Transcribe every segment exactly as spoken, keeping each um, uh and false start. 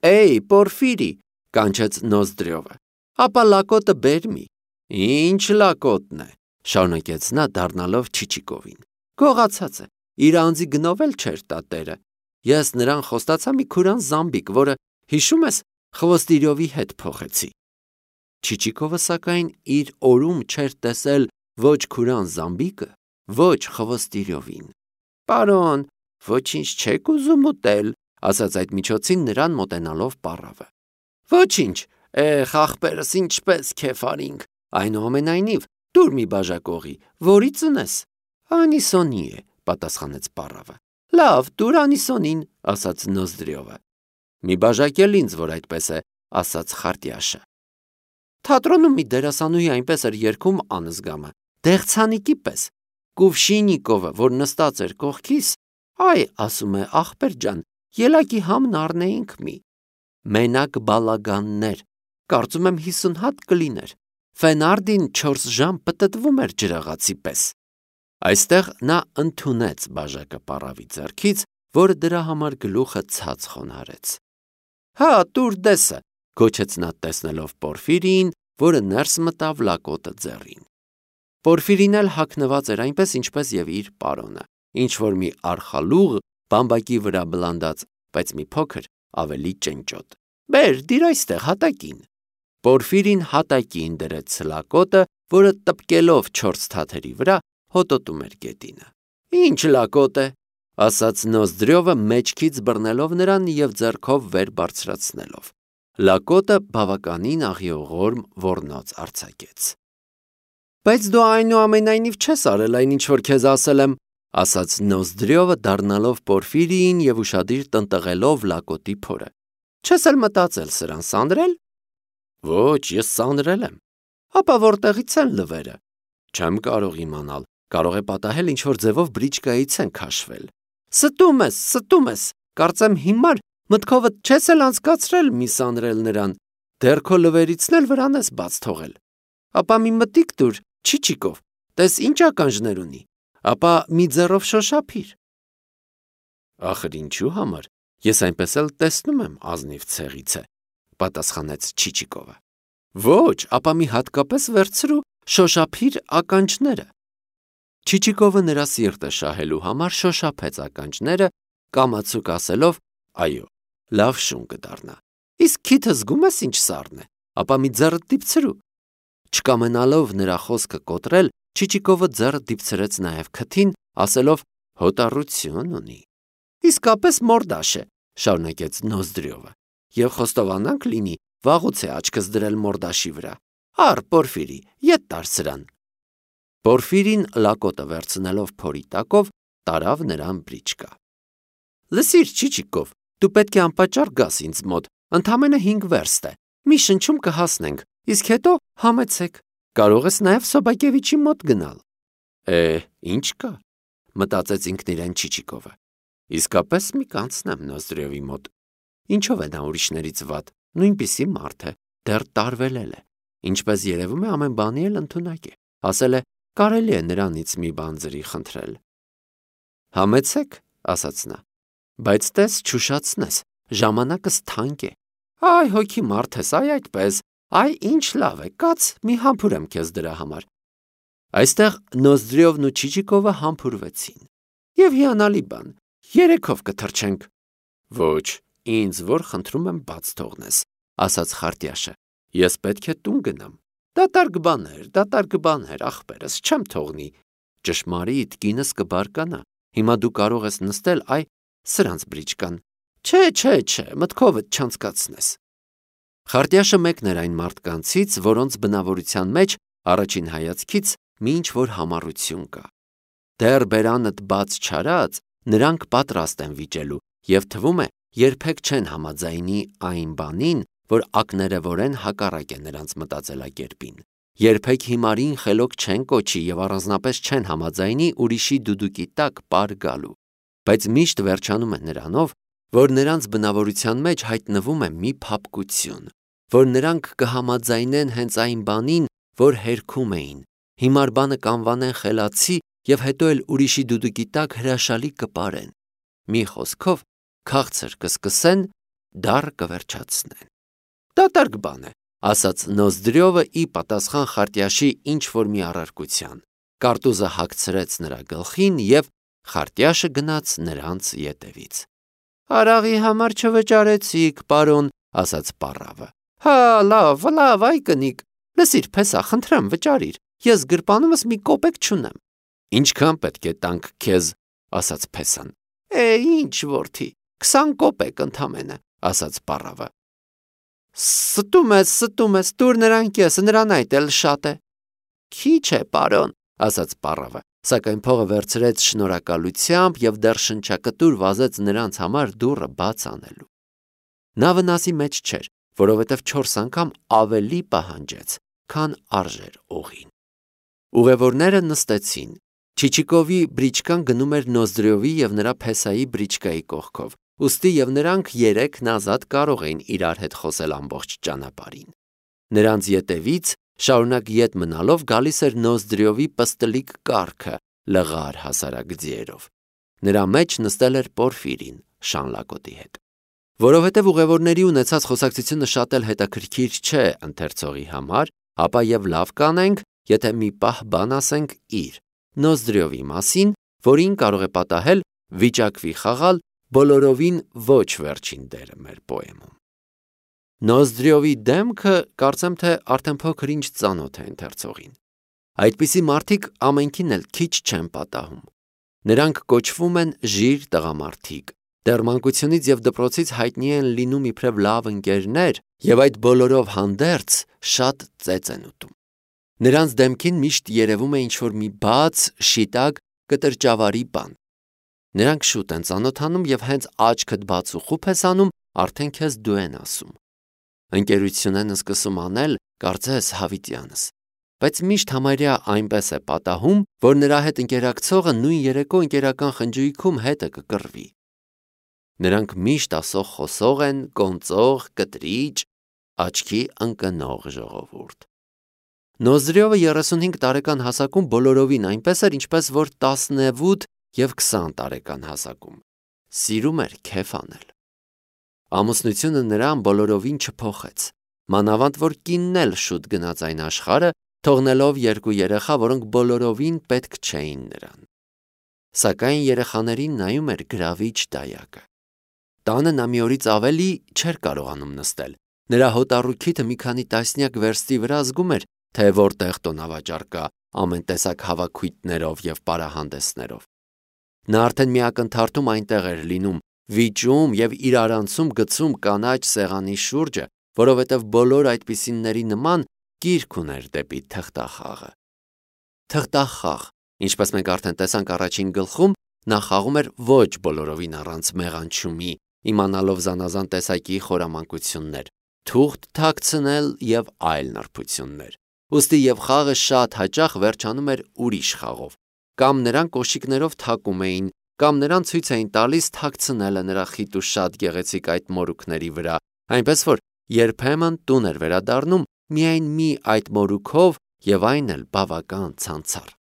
Էյ, Պորֆիրի, կանչեց Նոզդրյովը, ապա լակոտը բեր մի։ Ինչ լակոտն է, շարունակեց նա դառնալով Չիչիկովին։ Գողացած է, իր անձի գնով էլ չէր տա տերը։ Ես նրան խոստացա մի քուրան զամբիկ, որը, հիշում ես, Խվոստիրյովի հետ փոխեցի։ Չիչիկովը սակայն իր օրում չէր տեսել ոչ քուրան զամբիկը, ոչ Խվոստիրյովին։ Պարոն, ոչինչ չեք ուզում ուտել, ասաց այդ միջոցին նրան մոտենալով պառավը։ Ոչինչ, էխ ախպերս ինչպես քեֆարինք, այնուամենայնիվ դուր մի բաժակողի, որից ունես։ Անիսոնի է, պատասխանեց պառավը։ Լավ, դուր անիսոնին, ասաց Նոզդրյովը։ Մի բաժակ էլ ինձ, որ այդպես է, ասաց Խարտյաշը։ Թատրոնում մի դերասանուհի այնպես էր երգում անզգամը, դեղցանիկի պես։ Կուվշինիկովը, որ նստած էր կողքիս, այ, ասում է, ախպեր ջան, ելակի համն առնեինք մի։ Մենակ բալագաններ, կարծում եմ հիսուն հատ կլիներ։ Ֆենարդին չորս ժամ պտտվում էր ջրաղացի պես։ Այստեղ նա ընդունեց բաժակը պառավի ձեռքից, որը դրա համար գլուխը ցած խոնարհեց։ Հա, տուր դեսը, գոչեց նա տեսնելով Պորֆիրիին, որը ներս մտավ լակոտը ձեռին։ Պորֆիրին էլ հագնված էր այնպես, ինչպես եւ իր պարոնը, ինչ որ մի արխալուղ բամբակի վրա բլանդած, բայց մի փոքր ավելի ճնճոտ։ Բեր, դիր այստեղ հատակին։ Պորֆիրին հատակին դրեց լակոտը, որը տպկելով չորս թաթերի վրա հոտոտում էր գետինը։ Ինչ լակոտ է, ասաց Նոզդրյովը մեջքից բռնելով նրան եւ ձեռքով վեր բարձրացնելով։ Լակոտը բավականին աղիողորմ ոռնոց արձակեց։ Բայց դու այնուամենայնիվ չես արել այն, ինչ որ քեզ ասել եմ, ասաց Նոզդրյովը դառնալով Պորֆիրիին եւ ուշադիր տնտղելով լակոտի փորը։ Չես էլ մտածել սրան սանրել։ Ոչ, ես սանրել եմ։ Ապա որտեղից են լվերը։ Չեմ կարող իմանալ, կարող է պատահել ինչ որ ձևով բրիչկայից են քաշվել։ Ստում ես, ստում ես, կարծեմ հիմար մտքովդ չես էլ անցկացրել մի սանրել նրան, դեռ քո լվերիցն էլ վրան ես բաց թողել։ Ապա մի մտիկ տուր, Չիչիկով, տես ինչ ականջներ ունի, ապա մի ձեռով շոշափիր։ Ախր ինչու համար, ես այնպես էլ տեսնում եմ ազնիվ ցեղից է, պատասխանեց Չիչիկովը։ Ոչ, ապա մի հատկապես վերցրու, շոշափիր ականջները։ Չիչիկովը նրա սիրտը շահելու համար շոշափեց ականջները, կամացուկ ասելով. Այո, լավ շուն կդառնա։ Իսկ քիթը զգում ես ինչ սառն է, ապա մի ձեռդ դիպցրու։ Չկամենալով նրա խոսքը կոտրել, Չիչիկովը ձեռը դիպցրեց նաև քթին, ասելով. Հոտառություն ունի։ Իսկապես մորդաշ է, շարունակեց Նոզդրյովը, եւ խոստովանանք լինի, վաղուց է աչքս դրել մորդաշի վրա։ Առ, Պորֆիրի, ետ տար սրան։ Պորֆիրին լակոտը վերցնելով փորի տակով, տարավ նրան բրիչկա։ Լսիր, Չիչիկով, դու պետք է անպատճառ գաս ինձ մոտ, ընդամենը հինգ վերստ է։ Մի շնչում կհասնենք, իսկ հետո համեցեք։ Կարող ես նաև Սոբակևիչի մոտ գնալ։ Է, ինչ կա, մտածեց ինքն իրեն Չիչիկովը։ Իսկապես մի կանցնեմ Նոզդրյովի մոտ։ Ինչով է նա ուրիշներից վատ, նույնպիսի մարդ է, դեռ տարվելել է։ Ինչպես երևում է, ամեն բանի էլ ընդունակ է։ Ասել է, կարելի է նրանից մի բան ձրի խնդրել։ Համեցեք, ասաց նա, բայց տես չուշացնես, ժամանակս թանկ է։ Այ հոգի մարդ ես, այ այդպես, այ ինչ լավ է, կաց, մի համբուրեմ քեզ դրա համար։ Այստեղ Նոզդրյովն ու Չիչիկովը համբուրվեցին։ Եվ հիանալի բան, երեքով կթռչենք։ Ոչ, ինձ որ խնդրում եմ բաց թողնես, ասաց Խարտյաշը։ Ես պետք է տուն գնամ։ Դատարկ բաներ, դատարկ բաներ, ախպերս, չեմ թողնի։ Ճշմարիտ, կինս կբարկանա։ Հիմա դու կարող ես նստել, այ, սրանց բրիչկան։ Չէ, չէ, չէ, մտքովդ չանցկացնես։ Խարտյաշը մեկն էր այն մարդկանցից, որոնց բնավորության մեջ առաջին հայացքից մի ինչ-որ համառություն կա։ Դեռ բերանդ բաց չարած, նրանք պատրաստ են վիճելու, եւ թվում է, երբեք չեն համաձայնի այն բանին, որ ակներևորեն հակառակ է նրանց մտածելակերպին։ Երբեք հիմարին խելոք չեն կոչի եւ առանձնապես չեն համաձայնի ուրիշի դուդուկի տակ պար գալու։ Բայց միշտ վերջանում է նրանով, որ նրանց բնավորության մեջ հայտնվում է մի փափկություն, որ նրանք կհամաձայնեն հենց այն բանին, որ հերքում էին, հիմար բանը կանվանեն խելացի եւ հետո էլ ուրիշի դուդուկի տակ հրաշալի կպարեն։ Մի խոսքով, քաղցր կսկսեն դառը կվերջացնեն։ Դատարկ բան է, ասաց Նոզդրյովը ի պատասխան Խարտյաշի ինչ-որ մի առարկության։ Կարտուզը հագցրեց նրա գլխին և Խարտյաշը գնաց նրանց ետևից։ Արաղի համար չվճարեցիք, պարոն, ասաց պառավը։ Հա, լավ, լավ, այ կնիկ, լսիր, փեսա, խնդրեմ, վճարիր, ես գրպանումս մի կոպեկ չունեմ։ Ինչքան պետք է տանք քեզ, ասաց փեսան։ Է, ինչ որդի, քսան կոպեկ ընդամենը, ասաց պառավը։ Ստում ես, ստում ես, տուր նրան կեսը, նրան այդ էլ շատ է։ Քիչ է, պարոն, ասաց պառավը, սակայն փողը վերցրեց շնորհակալությամբ և դեռ շնչակտուր վազեց նրանց համար դուռը բաց անելու։ Նա վնասի մեջ չէր, որովհետև չորս անգամ ավելի պահանջեց, քան արժեր օղին։ Ուղևորները նստեցին։ Չիչիկովի բրիչկան գնում էր Նոզդրյովի և նրա փեսայի բրիչկայի կողքով, ուստի և նրանք երեքն ազատ կարող էին իրար հետ խոսել ամբողջ ճանապարհին։ Նրանց ետևից շարունակ ետ մնալով գալիս էր Նոզդրյովի պստլիկ կառքը լղար հասարակ ձիերով։ Նրա մեջ նստել էր Պորֆիրին Շանլակոտի հետ։ Որովհետև ուղևորների ունեցած խոսակցությունը շատ էլ հետաքրքիր չէ ընթերցողի համար, ապա և լավ կանենք, եթե մի պահ բան ասենք իր Նոզդրյովի մասին, որին կարող է պատահել վիճակվի խաղալ բոլորովին ոչ վերջին դերը մեր պոեմում։ Նոզդրյովի դեմքը կարծեմ թե արդեն փոքր ինչ ծանոթ է ընթերցողին։ Այդպիսի մարդիկ ամենքին էլ քիչ չեն պատահում։ Նրանք կոչվում են ժիր տղամարդիկ, դեռ մանկությունից և դպրոցից հայտնի են լինում իբրև լավ ընկերներ և այդ բոլորով հանդերձ շատ ծեծ են ուտում։ Նրանց դեմքին միշտ երևում է ինչ-որ մի բաց, շիտակ, կտրճավարի բան։ Նրանք շուտ են ծանոթանում և հենց աչքդ բաց ու խուփ ես անում, արդեն քեզ դու են ասում։ Ընկերություն են սկսում անել, կարծես հավիտյանս, բայց միշտ համարյա այնպես է պատահում, որ նրա հետ ընկերակցողը նույն երեկո ընկերական խնջույքում հետը կկռվի։ Նրանք միշտ ասող խոսող են, կոնծող, կտրիճ, աչքի ընկնող ժողովուրդ։ Նոզդրյովը երեսունհինգ տարեկան հասակում բոլորովին այնպես էր, ինչպես որ տասնութ և քսան տարեկան հասակում։ Սիրում էր քեֆ անել։ Ամուսնությունը նրան բոլորովին չփոխեց, մանավանդ որ կինն էլ շուտ գնաց այն աշխարհը, թողնելով երկու երեխա, որոնք բոլորովին պետք չէին նրան։ Սակայն երեխաներին նայում էր գրավիչ դայակը։ Տանը նա մի օրից ավելի չէր կարողանում նստել։ Նրա հոտառու քիթը մի քանի տասնյակ վերստի վրա զգում էր, թե որտեղ տոնավաճառ կա ամեն տեսակ հավաքույթներով և պարահանդեսներով։ Նա արդեն մի ակնթարթում այնտեղ էր լինում, վիճում և իրարանցում գցում կանաչ սեղանի շուրջը, որովհետև բոլոր այդպիսինների նման կիրք ուներ դեպի թղթախաղը։ Թղթախաղ, ինչպես մենք արդեն տեսանք առաջին գլխում, նա խաղում էր ոչ բոլորովին առանց մեղանչումի, իմանալով զանազան տեսակի խորամանկություններ, թուղթ թաքցնել և այլ նրբություններ։ Ուստի և խաղը շատ հաճախ վերջանում էր ուրիշ խաղով, կամ նրան կոշիկներով թակում էին, կամ նրան ցույց էին տալիս թաքցնելը նրա խիտ ու շատ գեղեցիկ այդ մորուքների վրա, այնպես որ երբեմն տուն էր վերադառնում միայն մի այդ մորուքով և այն էլ բավական ցանցառ։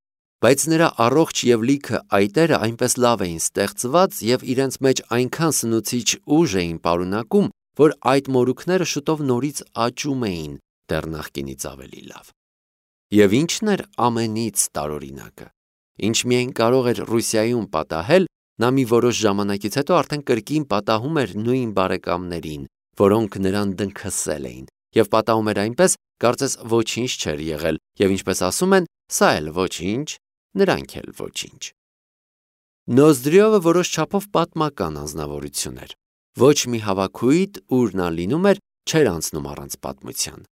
Բայց նրա առողջ և լիքը այտերը այնպես լավ էին ստեղծված և իրենց մեջ այնքան սնուցիչ ուժ էին պարունակում, որ այդ մորուքները շուտով նորից աճում էին դեռ նախկինից ավելի լավ։ Եվ ի՞նչն էր ամենից տարօրինակը։ Ինչ միայն կարող էր Ռուսիայում պատահել, նա մի որոշ ժամանակից հետո արդեն կրկին պատահում էր նույն բարեկամներին, որոնք նրան դնքսել էին, և պատահում էր այնպես, կարծես ոչինչ չէր եղել, և ինչպես ասում են, սա էլ ոչինչ, նրանք էլ ոչինչ։ Նոզդրյովը որոշ չափով պատմական անձնավորություն էր։ Ոչ մի հավաքույթ, ուր նա լինում էր, չէր անցնում առանց պատմության։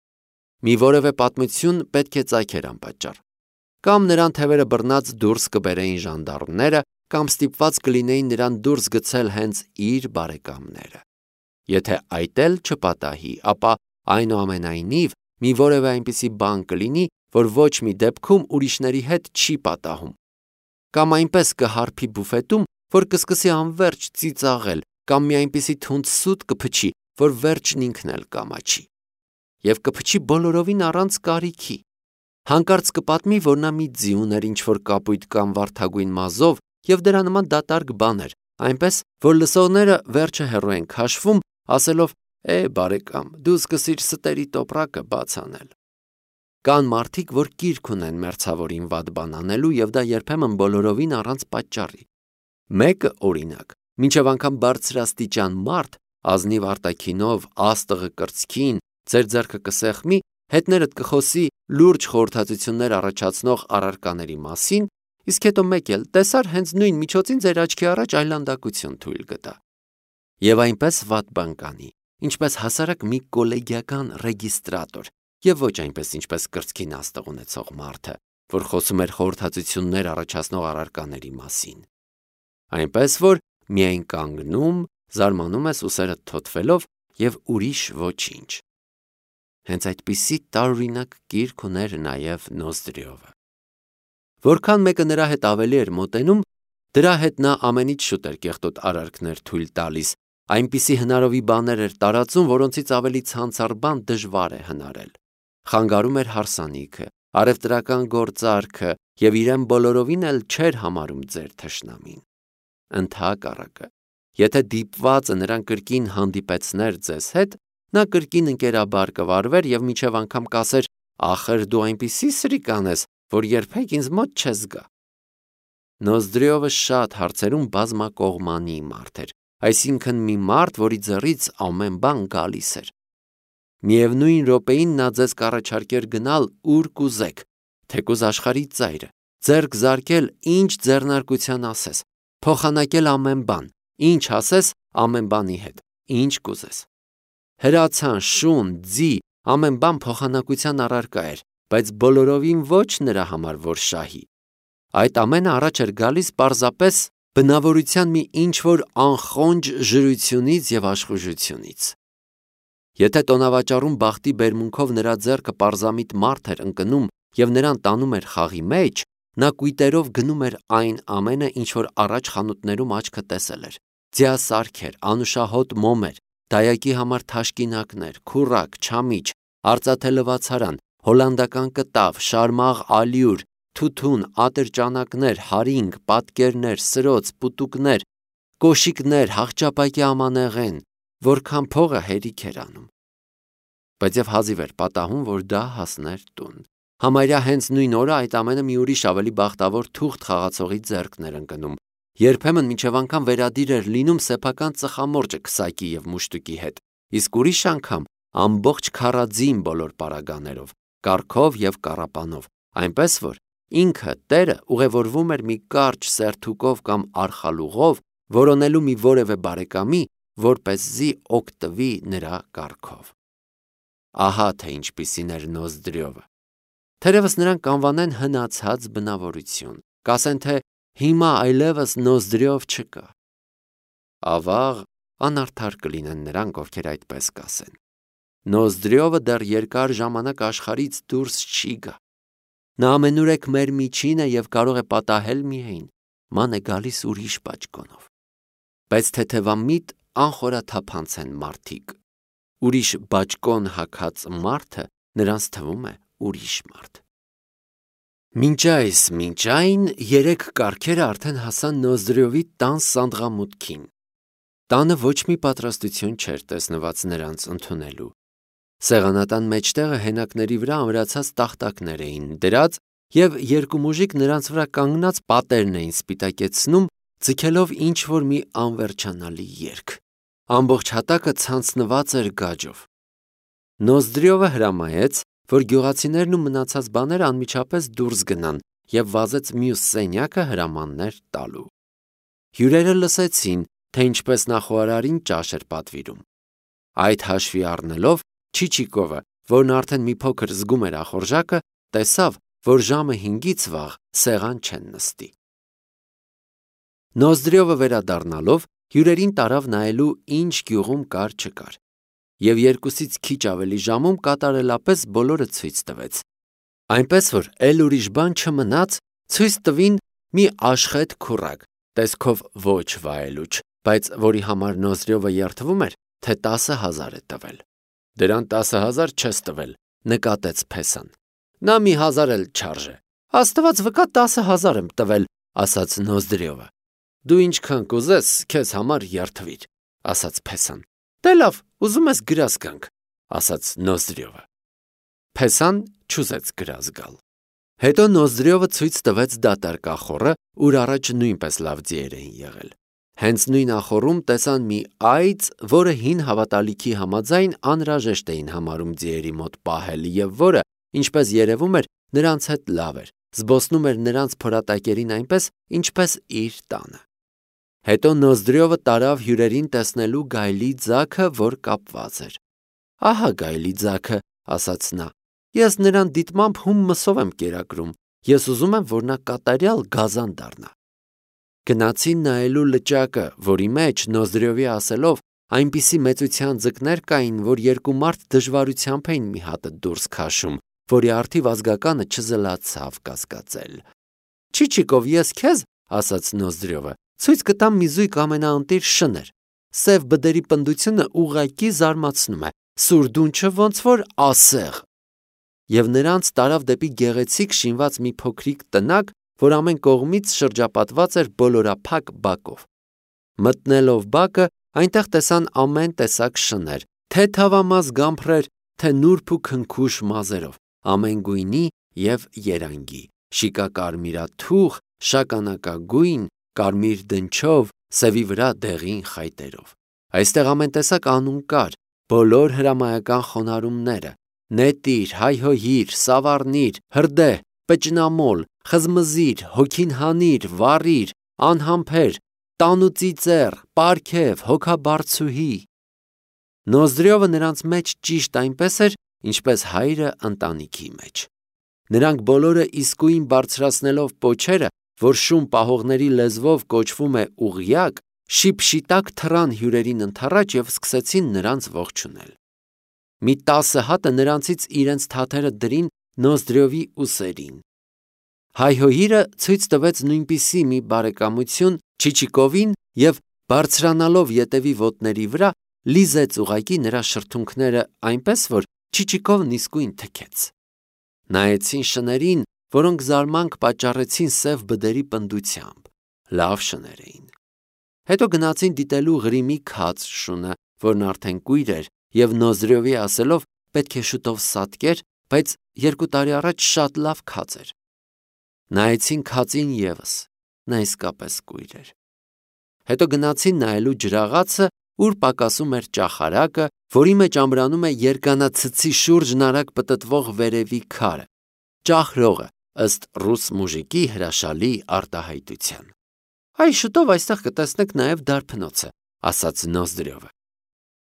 Մի որևէ պատմություն պետք է ծագեր անպատճառ։ Կամ նրան թևերը բռնած դուրս կբերեին ժանդարմները, կամ ստիպված կլինեին նրան դուրս գցել հենց իր բարեկամները։ Եթե այդ էլ չպատահի, ապա այնուամենայնիվ մի որևէ այնպիսի բան կլինի, որ ոչ մի դեպքում ուրիշների հետ չի պատահում։ Կամ այնպես կհարբի բուֆետում, որ կսկսի անվերջ ծիծաղել, կամ մի այնպիսի թունդ սուտ կփչի, որ վերջն ինքն էլ կամաչի։ Եվ կփչի բոլորովին առանց կարիքի։ Հանկարծ կպատմի, որ նա մի ձի ուներ ինչ-որ կապույտ կամ վարդագույն մազով, և դրա նման դատարկ բաներ, այնպես, որ լսողները վերջը հեռու են քաշվում, ասելով. Է, բարեկամ, դու սկսիր ստերի տոպրակը բաց անել։ Կան մարդիկ, որ կիրք ունեն մերձավորին վատ բան անելու եւ դա երբեմն բոլորովին առանց պատճառի։ Մեկը, օրինակ, մինչև անգամ բարձրաստիճան մարդ, ազնիվ արտաքինով, աստղը կրծքին, ձեր ձեռքը կսեղմի, հետներդ կխոսի լուրջ խորհրդածություններ առաջացնող առարկաների մասին, իսկ հետո մեկ էլ տեսար հենց նույն միջոցին ձեր աչքի առաջ այլանդակություն թույլ կտա։ Եվ այնպես վատ բան կանի, ինչպես հասարակ մի կոլեգիական ռեգիստրատոր, եւ ոչ այնպես ինչպես կրծքին աստղ ունեցող մարդը, որ խոսում էր խորհրդածություններ առաջացնող առարկաների մասին։ Այնպես որ միայն կանգնում, զարմանում ես ուսերդ թոթվելով եւ ուրիշ ոչինչ։ Հենց այդպիսի տարօրինակ կիրք ուներ նաեւ Նոզդրիովը։ Որքան մեկը նրա հետ ավելի էր մոտենում, դրա հետ նա ամենից շուտ էր կեղտոտ արարքներ թույլ տալիս, այնպիսի հնարովի բաներ էր տարածում, որոնցից ավելի ցանցառ բան դժվար է հնարել։ Խանգարում էր հարսանիքը, առևտրական գործարքը եւ իրեն բոլորովին էլ չէր համարում ձեր թշնամին։ Ընդհակառակը, եթե դիպվածը նրան կրկին հանդիպեցներ ձեզ հետ, նա կրկին ընկերաբար կվարվեր եւ միջև անգամ կասեր. «Ախր դու այնպիսի սրիկան ես, որ երբեք ինձ մոտ չես գա»։ Նոզդրիովը շատ հարցերում բազմակողմանի մարդ էր, այսինքն մի մարդ, որի ձեռից ամեն բան գալիս էր։ Միևնույն րոպեին նա ձեզ կառաջարկեր գնալ ուր կուզեք, թեկուզ աշխարհի ծայրը, ձեռք զարկել ինչ ձեռնարկության ասես, փոխանակել ամեն բան, ինչ ասես ամեն բանի հետ, ինչ կուզես։ Հրացան, շուն, ձի, ամեն բան փոխանակության առարկա էր, բայց բոլորովին ոչ նրա համար, որ շահի։ Այդ ամենը առաջ էր գալիս պարզապես բնավորության մի ինչ-որ անխոնջ ժրությունից եւ աշխուժությունից։ Եթե տոնավաճառում բախտի բերմունքով նրա ձեռքը պարզամիտ մարդ էր ընկնում եւ նրան տանում էր խաղի մեջ, նա կույտերով գնում էր այն ամենը, ինչ որ առաջ խանութներում աչքը տեսել էր։ Ձիասարքեր, անուշահոտ մոմեր, դայակի համար թաշկինակներ, քուռակ, չամիչ, արծաթե լվացարան, հոլանդական կտավ, շարմաղ ալյուր, թութուն, ատրճանակներ, հարինգ, պատկերներ, սրոց, պուտուկներ, կոշիկներ, հաղճապակի ամանեղեն, որքան փողը հերիք էր անում։ Բայց եւ հազիվ էր պատահում, որ դա հասներ տուն։ Համարյա հենց նույն օրը այդ ամենը մի ուրիշ ավելի բախտավոր թուղթ խաղացողի ձեռքն էր ընկնում։ Երբեմն մինչև անգամ վերադիր էր լինում սեփական ծխամորճը քսակի եւ մուշտուկի հետ, իսկ ուրիշ անգամ ամբողջ քարաձին բոլոր պարագաներով, կառքով եւ կառապանով, այնպես որ ինքը տերը ուղևորվում էր մի կարճ սերթուկով կամ արխալուղով, որոնելու մի որևէ բարեկամի, որպեսզի օգտվի նրա կառքով։ Ահա թե ինչպիսին էր Նոզդրիովը։ Թերևս նրան կանվանեն հնացած բնավորություն, կասեն թե հիմա այլևս Նոզդրիով չկա։ Ավաղ անարդար կլինեն նրանք, ովքեր այդպես կասեն։ Նոզդրիովը դեռ երկար ժամանակ աշխարից դուրս չի գա։ Նա ամենուրեք մեր միջին է եւ կարող է պատահել միայն, ման է գալիս ուրիշ բաճկոնով։ Բայց թեթևամիտ անխորաթափանց են մարդիկ։ Ուրիշ բաճկոն հագած մարդը նրանց թվում է ուրիշ մարդ։ Մինչ այս, մինչ այն, երեք կառքերը արդեն հասան Նոզդրիովի տան սանդղամուտքին։ Տանը ոչ մի պատրաստություն չէր տեսնված նրանց ընդունելու։ Սեղանատան մեջտեղը հենակների վրա ամրացած տախտակներ էին դրած եւ երկու մուժիկ նրանց վրա կանգնած պատերն էին սպիտակեցնում, ձգելով ինչ-որ մի անվերջանալի երգ։ Ամբողջ հատակը ցանցնված էր գաջով։ Նոզդրիովը հրամայեց, որ գյուղացիներն ու մնացած բաները անմիջապես դուրս գնան եւ վազեց մյուս սենյակը հրամաններ տալու։ Հյուրերը լսեցին, թե ինչպես նախարարին ճաշ էր պատվիրում։ Այդ հաշվի առնելով Չիչիկովը, որն արդեն մի փոքր զգում էր ախորժակը, տեսավ, որ ժամը հինգից վաղ սեղան չեն նստի։ Նոզդրիովը վերադառնալով հյուրերին տարավ նայելու ինչ գյուղում կար չկար, եւ երկուսից քիչ ավելի ժամում կատարելապես բոլորը ցույց տվեց։ Այնպես որ էլ ուրիշ բան չմնաց, ցույց տվին մի աշխետ քուռակ, տեսքով ոչ վայելուչ, բայց որի համար Նոզդրիովը երդվում էր, թե տասը հազար է տվել։ Դրան տասը հազար չես տվել, նկատեց Փեսան։ Նա մի հազար էլ չարժե։ Աստված վկա տասը հազար եմ տվել, ասաց Նոզդրիովը։ Դու ինչքան կուզես, քեզ համար երդվիր, ասաց Փեսան։ Դե լավ, ուզում ես գրազ գանք, ասաց Նոզդրյովը։ Փեսան չուզեց գրազ գալ։ Հետո Նոզդրյովը ցույց տվեց դատարկ ախոռը, ուր առաջ նույնպես լավ ձիեր էին եղել։ Հենց նույն ախոռում տեսան մի այծ, որը հին հավատալիքի համաձայն անհրաժեշտ էին համարում ձիերի մոտ պահել եւ որը, ինչպես երևում էր, նրանց հետ լավ էր, զբոսնում էր նրանց փորատակերին այնպես, ինչպես իր տանը։ Հետո Նոզդրյովը տարավ հյուրերին տեսնելու գայլի ձագը, որ կապված էր։ Ահա գայլի ձագը, ասաց նա, ես նրան դիտմամբ հում մսով եմ կերակրում, ես ուզում եմ, որ նա կատարյալ գազան դառնա։ Գնացին նայելու լճակը, որի մեջ Նոզդրյովի ասելով այնպիսի մեծության ձկներ կային, որ երկու մարդ դժվարությամբ էին մի հատը դուրս քաշում, որի արդիվ ազգականը չզլացավ կասկածել։ Չիչիկով, ես քեզ, ասաց Նոզդրյովը, ցույց կտամ մի զույգ ամենաընտիր շներ։ Սև բդերի պնդությունը ուղղակի զարմացնում է, սուրդունչը ոնց որ ասեղ։ Եվ նրանց տարավ դեպի գեղեցիկ շինված մի փոքրիկ տնակ, որ ամեն կողմից շրջապատված էր բոլորափակ բակով։ Մտնելով բակը, այնտեղ տեսան ամեն տեսակ շներ, թե թավամաս գամփրեր, թե նուրբ ու քնքուշ մազերով, ամեն գույնի եւ երանգի, շիկակարմիրաթուխ, շագանակագույն, կարմիր դնչով, սևի վրա դեղին խայտերով։ Այստեղ ամեն տեսակ անուն կար, բոլոր հրամայական խոնարհումները՝ նետիր, հայհոյիր, սավառնիր, հրդե, պճնամոլ, խզմզիր, հոգին հանիր, վառիր, անհամբեր, տանուծիծեռ, պարքև, հոգաբարձուհի։ Նոզդրյովը նրանց մեջ ճիշտ այնպես էր, ինչպես հայրը ընտանիքի մեջ։ Նրանք բոլորը իսկույն բարձրացնելով պոչերը, որ շուն պահողների լեզվով կոչվում է ուղիակ, շիպշիտակ թռան հյուրերին ընդառաջ եւ սկսեցին նրանց ողջունել։ Մի տասը հատը նրանցից իրենց թաթերը դրին Նոզդրյովի ուսերին։ Հայհոյիրը ցույց տվեց նույնպիսի մի բարեկամություն Չիչիկովին եւ բարձրանալով ետևի ոտների վրա լիզեց ուղակի նրա շրթունքները այնպես, որ Չիչիկովն իսկույն թքեց։ Նայեցին շներին, որոնք զարմանք պատճառեցին սև բդերի պնդությամբ։ Լավ շներ էին։ Հետո գնացին դիտելու Ղրիմի քաց շունը, որն արդեն կույր էր, եւ Նոզդրյովի ասելով պետք է շուտով սատկեր, բայց երկու տարի առաջ շատ լավ քաց էր։ Նայեցին քածին եւս, նա իսկապես կույր էր։ Հետո գնացին նայելու ջրաղացը, ուր պակասում էր ճախարակը, որի մեջ ամրանում է երկանացցի շուրջն արագ պտտվող վերևի քարը, ճախրողը, ըստ ռուս մուժիկի հրաշալի արտահայտության։ Այ շուտով այստեղ կտեսնեք նաև դարբնոցը, ասաց Նոզդրյովը։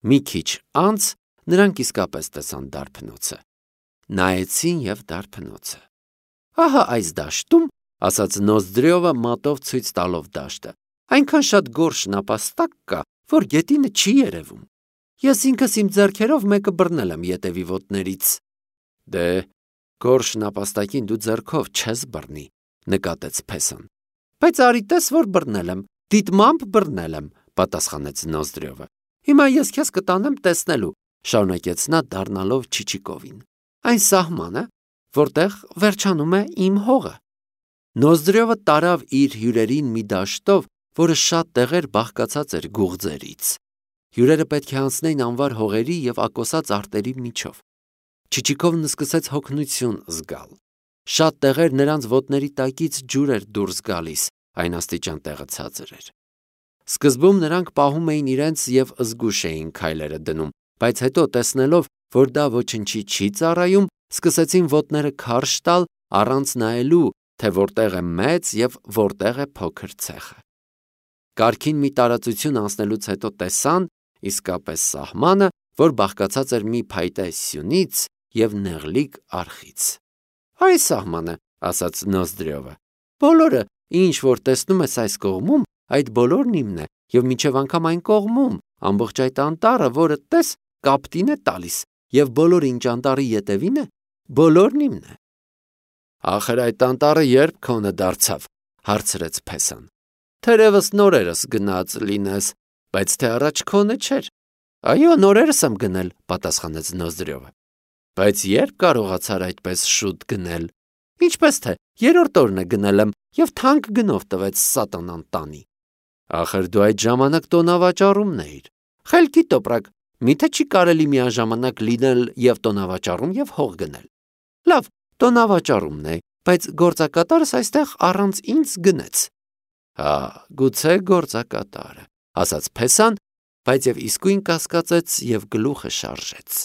Մի քիչ անց նրանք իսկապես տեսան դարբնոցը։ Նայեցին եւ դարբնոցը։ Ահա այս դաշտում, ասաց Նոզդրյովը մատով ցույց տալով դաշտը, այնքան շատ գորշ նապաստակ կա, որ գետինը չի երևում։ Ես ինքս իմ ձեռքերով մեկը բռնել եմ ետևի ոտներից։ Դե, գորշ նապաստակին դու ձեռքով չես բռնի, նկատեց Փեսան։ Բայց արի տես, որ բռնել եմ, դիտմամբ բռնել եմ, պատասխանեց Նոզդրյովը։ Հիմա ես քեզ կտանեմ տեսնելու, շարունակեց նա դառնալով Չիչիկովին։ Այն սահմանը, որտեղ վերջանում է իմ հողը։ Նոզդրյովը տարավ իր հյուրերին մի դաշտով, որը շատ տեղեր բաղկացած էր գուղձերից։ Հյուրերը պետք է անցնեին անվար հողերի եւ ակոսած արտերի միջով։ Չիչիկովն սկսեց հոգնություն զգալ։ Շատ տեղեր նրանց ոտների տակից ջուր էր դուրս գալիս, այն աստիճան տեղը ցածր էր։ Սկզբում նրանք պահում էին իրենց եւ զգուշ էին քայլերը դնում, բայց հետո տեսնելով, որ դա ոչնչի չի ծառայում, սկսեցին ոտները քարշ տալ առանց նայելու, թե որտեղ է մեծ եւ որտեղ է փոքր ցեխը։ Կարքին մի տարածություն անցնելուց հետո տեսան իսկապես սահմանը, որ բաղկացած էր մի փայտե սյունից եւ նեղլիկ արխից։ Այ սահմանը, ասաց Նոզդրյովը։ Բոլորը, ինչ որ տեսնում ես այս կողմում, այդ բոլորն իմն է, եւ մինչեւ անգամ այն կողմում, ամբողջ այդ անտառը, որը տես, կապտին է տալիս, եւ բոլորը ինչ անտառի ետևին է, բոլորն իմն է։ Ախր այդ անտառը երբ քոնը դարձավ, հարցրեց Փեսան։ Թերևս նորերս գնաց լինես, բայց թե առաջ քոնը չէր։ Այո, նորերս եմ գնել, պատասխանեց Նոզդրյովը։ Բայց երբ կարողացար այդպես շուտ գնել։ Ինչպես թե, երրորդ օրն է գնել եմ եւ թանկ գնով տվեց սատանան տանի։ Ախր դու այդ ժամանակ տոնավաճառումն էիր։ Խելքի տոպրակ, Միթե չի կարելի միաժամանակ լինել և տոնավաճառում և հող գնել։ Լավ, տոնավաճառումն է, բայց գործակատարս այստեղ առանց ինձ գնեց։ Հա, գուցե գործակատարը, ասաց փեսան, բայց և իսկույն կասկածեց և գլուխը շարժեց։